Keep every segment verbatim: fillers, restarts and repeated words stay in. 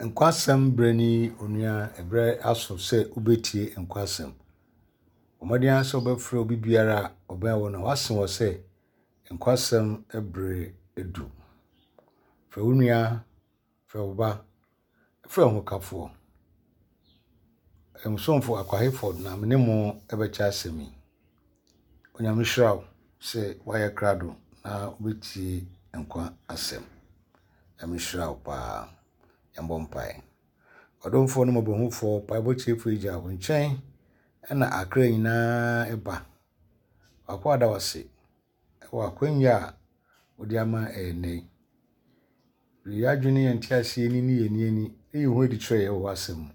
Nkwasɛm berɛ ni onua, ɛberɛ aso sɛ wobɛtie nkwasɛm. Bɔ mmɔden ara sɛ wobɛfrɛ obi biara a ɔbɛn wo no, wase wɔ sɛ nkwasɛm berɛ adu. Frɛ wo nua, frɛ wo ba, frɛ wo hokafoɔ. Ɛmsomfo Akwa Hayford na me ne mo bɛkyɛ asɛm yi. Onyame hyira wo sɛ woayɛ krado na wobɛtie nkwa asɛm. Nyame hyira wo paa. Yɛmbɔ mpaeɛ. Ɔdomfoɔ ne mmɔborɔhufoɔ, mpaebɔ tiefoɔ agya wo nkyɛn ɛna akra nyinaa ɛba. W'akoa da wo ase ɛwɔ akwannya a wode ama ɛnnɛ yi. Yɛn adwene ne yɛn nteaseɛ ni ne yɛn ani ani na yɛhu adi kyerɛ yɛn wɔ w'asɛm mu.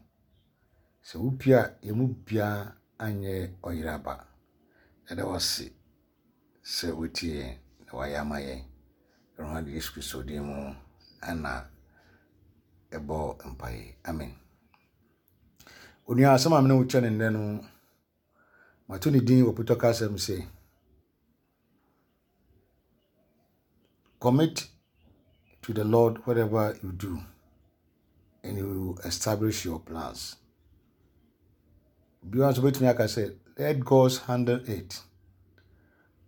Sɛ wopue a yɛn mu biara anyɛ ɔyeraba. Yɛda wo ase sɛ wotie yɛn na wayɛ ama yɛn. Awurade Yesu Kristo din mu ɛna ɛbɔ mpaeɛ. Amen. Onua asɛm a me ne wo kyɛ ne nnɛ no, mato ne din wɔ potɔ kasɛm sɛ commit to the Lord whatever you do and he will establish your plans. Obiara nso bɛtumi aka sɛ let God handle it.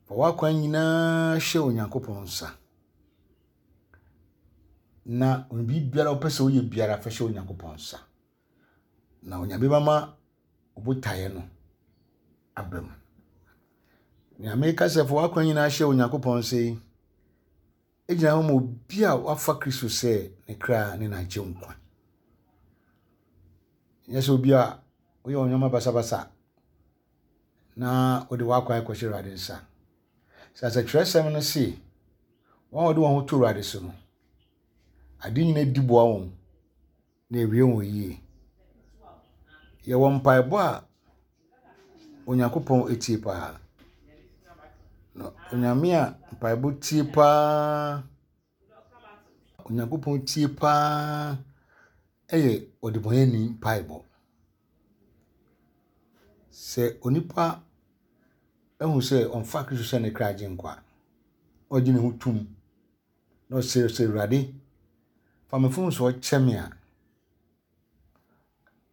Fa w'akwan nyinaa hyɛ Onyankopɔn nsa. Na biribiara wopɛ sɛ woyɛ biara fa hyɛ Onyankopɔn nsa. Na Onyame bɛma wo botaeɛ no aba mu. Nea meka sɛ fa w'akwan nyinaa hyɛ Onyankopɔn nsa yi, egyina hɔ ma obi a wafa Kristo sɛ ne kra ne n'agyenkwa. Nyɛ sɛ obi a woyɛ wo nneɛma basabasa na wode w'akwan kɔhyɛ Awurade nsa. Sɛ sɛ twerɛsɛm no se, wɔn a wɔde wɔn ho to Awurade so no, ade nyinaa di boa wɔn na ewie wɔn yie. Yɛwɔ mpaebɔ a Onyankopɔn etie paa. Na Onyame a mpaebɔ tie paa, Onyankopɔn tie paa ɛyɛ ɔdebɔneyɛni mpaebɔ. Sɛ onipa ehu sɛ ɔmfa Kristo sɛ ne kra agyenkwa, ɔgye ne ho tom na ɔsrɛ sɛ Awurade fa me mfomsoɔ kyɛ me a,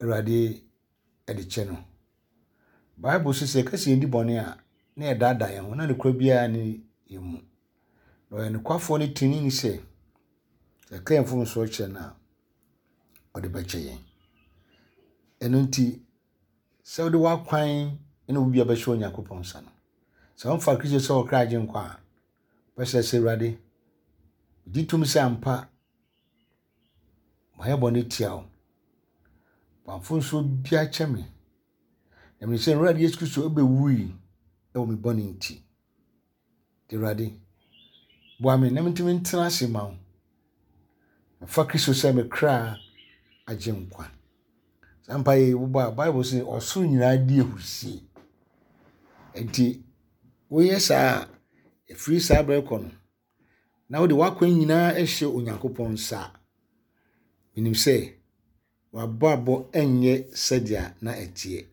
Awurade ɛde kyɛ no. Bible sɛ sɛ yɛka sɛ yɛndi bɔne a, na yɛdaadaa yɛn ho na nokorɛ biara nni yɛn mu. Na ɔyɛ nokwafoɔ ne trenee sɛ yɛka yɛn mfomsoɔ kyerɛ no a, ɔde bɛkyɛ yɛn. Ɛno nti, sɛ wode w'akwan ne wo bia bɛhyɛ Onyankopɔn nsa no, sɛ womfa Kristo sɛ wo kra agyenkwa a, bɛsrɛ sɛ Awurade, gye tom sɛ ampa mayɛ bɔne tia wo. Fa mfomsoɔ biara kyɛ me. Na menim sɛ Awurade Yesu Kristo bɛwui wɔ me bɔne nti. Nti Awurade, boa me na mentumi ntena ase ma wo. Mfa Kristo sɛ me kra agyenkwa. Saa mpaeɛ yi wobɔ a, Bible sɛ ɔsoro nyinaa di ahurusie. Nti woyɛ saa a, ɛfiri saa berɛ kɔ no, na wode w'akwan nyinaa ahyɛ Onyankopɔn nsa a, menim sɛ w'abrabɔ nyɛ sɛdeɛ na ɛteɛ.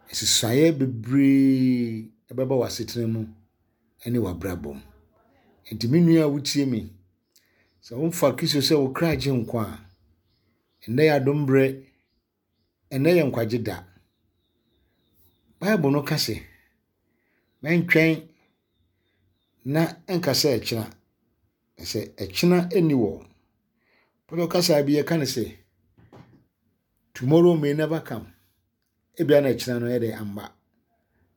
Nsesaeɛ bebree ɛbɛba w'asetena mu ne w'abrabɔ mu. Nti me nua a wotie me, sɛ womfa Kristo sɛ wo kra agyenkwa a, ɛnnɛ yɛ adom berɛ, ɛnnɛ yɛ nkwagye da. Bible no ka sɛ, mɛntwɛn na ɛnka sɛ ɛkyena, na sɛ ɛkyena nni wɔ. Pɔtɔ kasa bi yɛka no sɛ, tomorrow may never come. Ebia na ɛkyena no yɛ dɛ amba.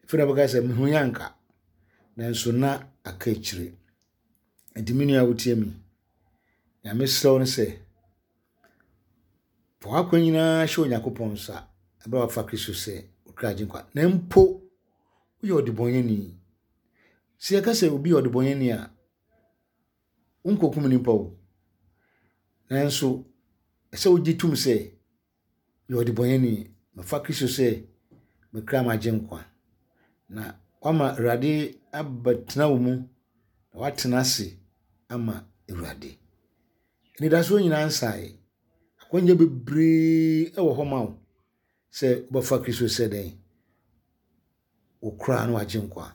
Afei na bɛka sɛ mehu yɛ anka. Nanso na aka akyire. Nti me nua a wotie me, nea mesrɛ wo ne sɛ, fa w'akwan nyinaa hyɛ Onyankopɔn nsa ɛberɛ a wafa Kristo sɛ wo kra agyenkwa. Na mpo woyɛ ɔdebɔneyɛni. Sɛ yɛka sɛ obi yɛ ɔdebɔneyɛni a, wonkɔkum nipa o. Nanso ɛsɛ wogye tom sɛ yɛ ɔdebɔneyɛni. Mafa Kristo sɛ me kra m'agyenkwa. Na wama Awurade abɛtena wo mu na woatena ase ama Awurade. Anidasoɔ nyinaa nsaeɛ. Akwannya bebree wɔ hɔ ma wo sɛ wobɛfa Kristo sɛ dɛn? Wo kra ne w'agyenkwa.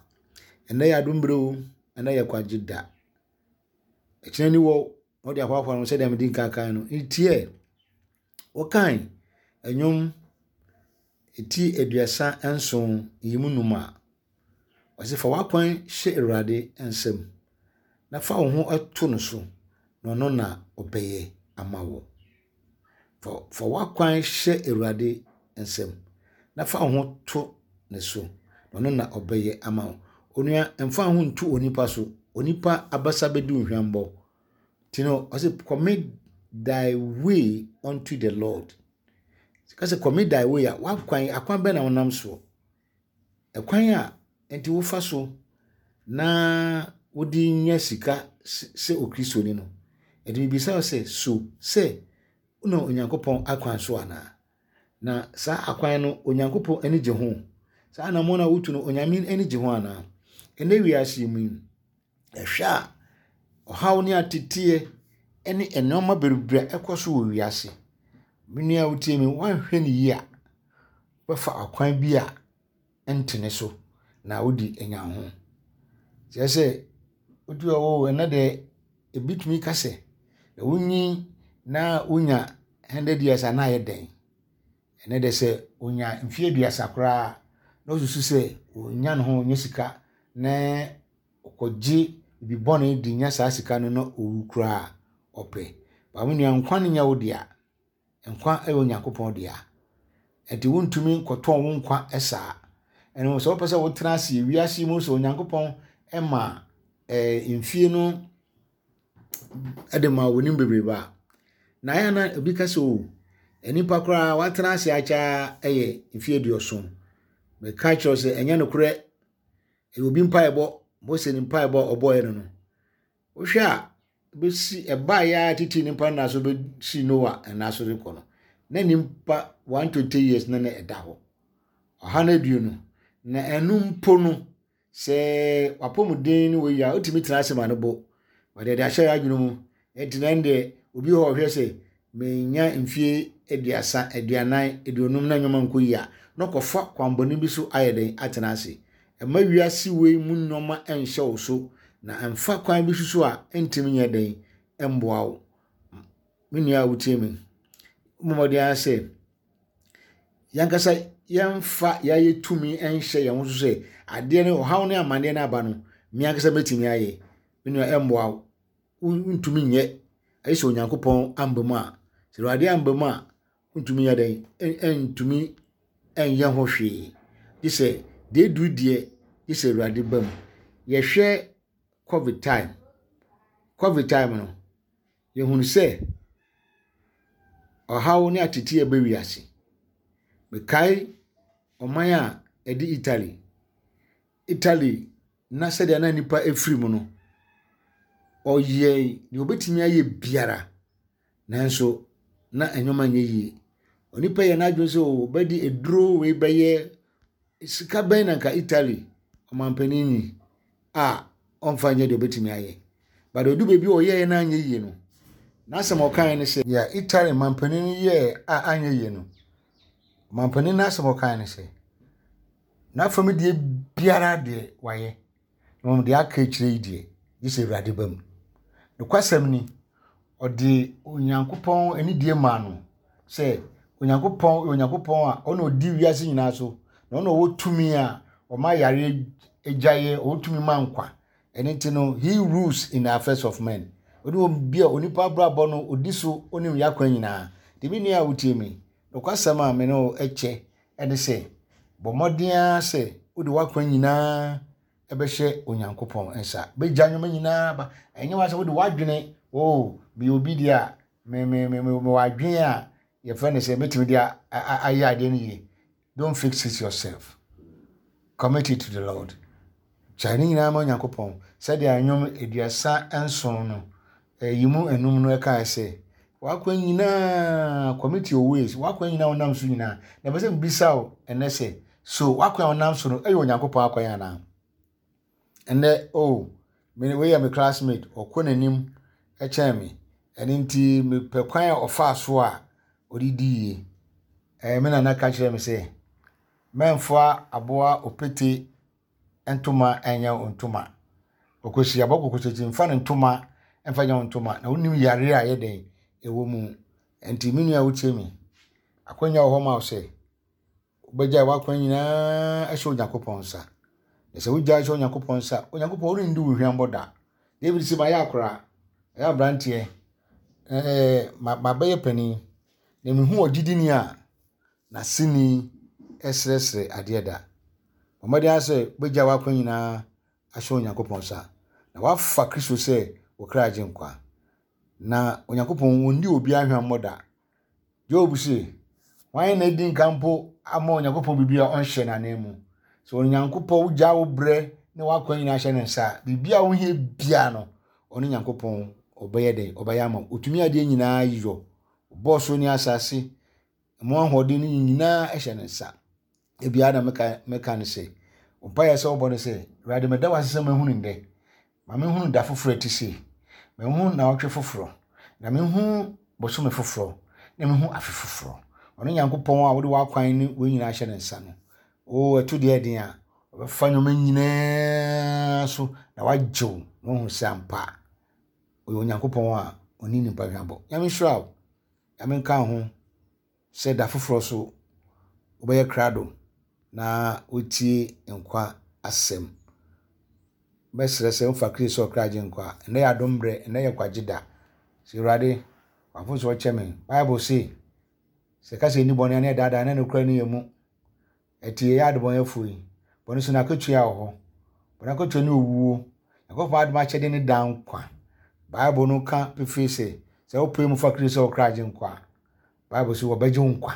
Ɛnnɛ yɛ adom berɛ o, ɛnnɛ yɛ kwagye da. Ɛkyena ni wɔ na wode ahoahoa no sɛdeɛ mede nkan kan no. Ntiɛ, Wɔkan nnwom ti aduasa nson yi mu num a, ɔse fa w'akwan hyɛ Awurade nsam, na fa wo ho to no so, na ɔno na ɔbɛyɛ ama wo. Fa fa w'akwan hyɛ Awurade nsam, na fa wo ho to ne so, na ɔno na ɔbɛyɛ ama wo. Onua, mfa wo ho nto onipa so. Onipa abasa bɛdi wo hwammɔ. Nti no, ɔse commit thy way unto the Lord. Ka sɛ commit thy way a, w'akwan, akwan bɛn na wonam soɔ? Ɛkwan a nti wofa so na wode nya sika sɛ Okristoni no. Ɛde mibisa wo sɛ, so sɛ wonam Onyankopɔn akwan so anaa? Na saa akwan no, Onyankopɔn ani gye ho? Saa anammɔn a wotu no, Onyame ani gye ho anaa? Ɛnnɛ wiase yi mu yi, ɛhwɛ a ɔhaw ne ateteɛ ne nneɛma bebree a ɛkɔ so wɔ wiase. Me nua a wotie me, woanhwɛ no yie a, wobɛfa akwan bi a ɛntene so na wode anya wo ho. Kyerɛ sɛ, wotu hɔ o, ɛnnɛ deɛ ebi tumi ka sɛ, wonyin na wonya hundred years a na ayɛ dɛn? Ɛnnɛ deɛ sɛ onya mfeɛ aduasa koraa na osusu sɛ onya ne ho onya sika na ɔkɔgye bibi bɔne de nya saa sika no na owu koraa a, ɔpɛ. Ba me nua, nkwa no nyɛ wo dea. Nkwa yɛ Onyankopɔn dea. Nti wontumi nkɔtɔn wo nkwa saa. Ɛno sɛ wopɛ sɛ wotena ase wiase mu sɛ Onyankopɔn ma ɛɛ mfie no de ma w'anim bebrebe a, na ayɛ na obi ka sɛ o, nipa koraa watena ase akyɛ yɛ mfeɛ aduɔson. Meka kyerɛ wo sɛ ɛnyɛ nokorɛ. Ɛyɛ obi mpaebɔ. Mose ne mpaebɔ a ɔbɔeɛ no no. Wohwɛ a, bɛsi ɛbaeɛ a tete nipa nna so bɛsi Noah nna so rekɔ no, na nipa one twenty years na na ɛda hɔ. Ɔha no aduonu. Na ɛno mpo no, sɛ wapɔmuden no wɔ yi a, wotumi tena ase ma no bo. Wɔde de ahyɛ adwene mu. Nti na deɛ obi hɔ ɔhwɛ sɛ menya mfie aduasa, aduanan, aduonum na nneɛma nkɔ yie a, na ɔkɔfa kwanbɔne bi so ayɛ den atena ase. Ɛma wiase wei mu nneɛma nhyɛ wo so, na ɛmfa kwan bi so a ɛntumi nyɛ den mboa wo. Me nua a wotie me, mmɔden ara sɛ yɛnkasa yɛmfa yɛayɛ tumi nhyɛ yɛn ho so sɛ adeɛ no ɔhaw ne amanneɛ no aba no, me ankasa mɛtumi ayɛ. Me nua ɛmboa wo. Wontumi nyɛ. Ɛyɛ sɛ Onyankopɔn amba mu a, sɛ Awurade amba mu a, wontumi nyɛ dɛn, ɛntumi ɛnyɛ ho hwee. Gye sɛ deɛ eduru deɛ, gye sɛ Awurade ba mu. Yɛhwɛ COVID time. COVID time no, yɛhunu sɛ ɔhaw ne ateteɛ ba wiase. Mekae ɔman a ɛde Italy. Italy na sɛdeɛ na nipa efiri mu no, ɔyɛ deɛ obetumi ayɛ biara, nanso na nneɛma nyɛ yie. Onipa yɛ n'adwene sɛ ɔbɛde eduro wei bɛyɛ sika bɛn na nka Italy ɔmanpanin yi a ɔmfa nyɛ deɛ obetumi ayɛ. But odu baabi a ɔyɛɛ na anyɛ yie no, n'asɛm a ɔkae ne sɛ, deɛ Italy manpanin yɛɛ a anyɛ yie no, ɔmanpanin n'asɛm a ɔkae ne sɛ, n'afam deɛ biara deɛ wayɛ, na mmom deɛ aka akyire yi deɛ, gye sɛ Awurade ba mu. Nokwasɛm ni, ɔde Onyankopɔn anidie maa no sɛ Onyankopɔn yɛ Onyankopɔn a ɔna ɔdi wiase nyinaa so, na ɔna ɔwɔ tumi a ɔma yare gyaeɛ, ɔwɔ tumi ma nkwa. Ɛno nti no, he rules in the affairs of men. Ɔne obi a onipa abrabɔ no odi so onim yakwan nyinaa. Nti me nua a wotie me, nokwasɛm a me ne wo kyɛ ɛne sɛ, bɔ mmɔden ara sɛ wode w'akwan nyinaa ɛbɛhyɛ Onyankopɔn nsa. Bɛgya nneɛma nyinaa ba. Ɛnyɛ wa sɛ wode w'adwene, oh, meyɛ obi deɛ a, me me me me mewɔ adwene a yɛfrɛ no sɛ mɛtumi de ayɛ adeɛ no yie. Don't fix it yourself. Commit it to the Lord. Gyae ne nyinaa ma Onyankopɔn. Sɛdeɛ nnwom aduasa nson no, ɛyi mu enum no ɛkae sɛ, w'akwan nyinaa commit your ways, w'akwan nyinaa wonam so nyinaa. Na ɛbɛ sɛ mbisa wo ɛnɛ sɛ, so w'akwan a wonam so no ɛyɛ Onyankopɔn akwan anaa? Ɛnɛ, oh, me wei yɛ me classmate, ɔkɔ n'anim ɛkyɛn me. Ɛno nti mepɛ kwan a ɔfaa so a ɔde di yie. Ɛɛ me nana ka kyerɛ me sɛ, mɛmfa aboa opete ntoma ɛnyɛ wo ntoma. Ɔkɔsi aboa kɔkɔsakyi mfa ne ntoma mfa nyɛ wo ntoma na wonim yare a ɛyɛ den ɛwɔ mu. Nti me nua a wotie me, Akwanya wɔ hɔ ma wo sɛ wobɛgyae w'akwan nyinaa ahyɛ Onyankopɔn nsa. Na sɛ wogyae hyɛ Onyankopɔn nsa, Onyankopɔn ɔrenni wo hwammɔ da. David sɛ mayɛ akora, mayɛ aberanteɛ, ɛɛ mabɛyɛ panin, na mehu ɔgyidini a n'aseni srɛsrɛ adeɛ da. Bɔ mmɔden ara sɛ wobɛgyae w'akwan nyinaa ahyɛ Onyankopɔn nsa, na woafa Kristo sɛ wo kra agyenkwa. Na Onyankopɔn ɔnni obiara hwammɔ da. Job se, hwan na adi nka mpo ama Onyankopɔn biribi a ɔnhyɛ n'ananmu? Sɛ Onyankopɔn wogyaa wo berɛ ne w'akwan nyinaa hyɛ ne nsa a, biribi a wohia biara no, ɔne Nyankopɔn ɔbɛyɛ dɛn? Ɔbɛyɛ ama wo. Ɔtumi adeɛ nyinaa yɔ. Ɔbɔɔ soro ne asase, ɛmu ahoɔden no nyinaa hyɛ ne nsa. Ebiara na meka meka ne sɛ, mpaeɛ sɛ wobɔ no sɛ, Awurade meda wo ase sɛ mahunu ndɛ. Ma menhunu da foforɔ a ɛte sei. Menhunu nnawɔtwe foforɔ. Na menhunu bosome foforɔ. Na menhunu afe foforɔ. Ɔno Nyankopɔn a wode w'akwan ne wei nyinaa hyɛ ne nsa no, o ɛto deɛ ɛden a, ɔbɛfa nneɛma nyinaa so na wagye wo na wahu sɛ ampa ɔyɛ Onyankopɔn a ɔnni nnipa hwammɔ. Nyame nhyira wo. Nyame nka wo ho sɛ da foforɔ so wobɛyɛ krado na wotie nkwa asɛm. Mɛsrɛ sɛ wofa Kristo sɛ ɔkra agyenkwa a, ɛnnɛ yɛ adom berɛ, ɛnnɛ yɛ nkwagye da. Sɛ Awurade, w'mfomsoɔ kyɛ me. Bible se, sɛ ɛka sɛ yɛnni bɔne a na yɛdaadaa na nokorɛ no yɛ mu. Ɛte yɛyɛ adebɔnyɛfoɔ yi, bɔne so n'akatua wɔ hɔ. Bɔne akatua ne owuo. Nyankopɔn adom akyɛde ne daa nkwa. Bible no ka pefee sɛ, sɛ wopɛ mu fa Kristo sɛ ɔkra agyenkwa a, Bible sɛ wɔbɛgye wo nkwa.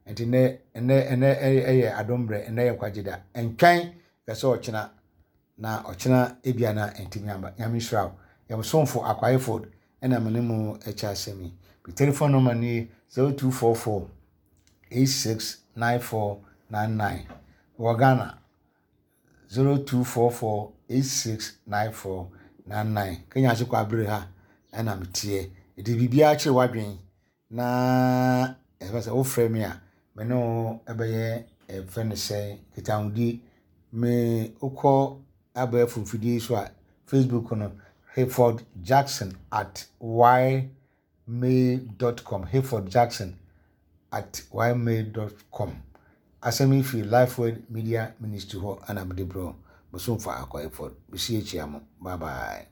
Nti nnɛ ɛnnɛ ɛnnɛ ɛyɛ adom berɛ, ɛnnɛ yɛ nkwagye da. Ɛntwɛn kɛ sɛ ɔkyena na ɔkyena ebia na ɛntumi amba. Nyame nhyira wo. Yɛn somfo Akwa Hayford ɛna me ne mo ɛkyɛ asɛm yi. Me telephone number nie zero two four four eight six nine four nine nine. Wɔ Ghana zero two four four eight six nine four nine nine. Kenya ase kɔ abere ha ɛna meteɛ. Ɛde biribiara kyerɛ w'adwene na ɛfɛ sɛ wofrɛ me a me ne wo ɛbɛyɛ ɛfɛ ne sɛ nkitahodie. Me wokɔ abɛɛfo mfidie so a Facebook no Hayford Jackson at ymail dot com. Hayford Jackson at ymail dot com. Asɛm yi firi Lifeword Media Ministry hɔ ɛna mede brɛ wo. Bosomfa Akwa Hayford. Bɛsi akyia mo. Bye bye.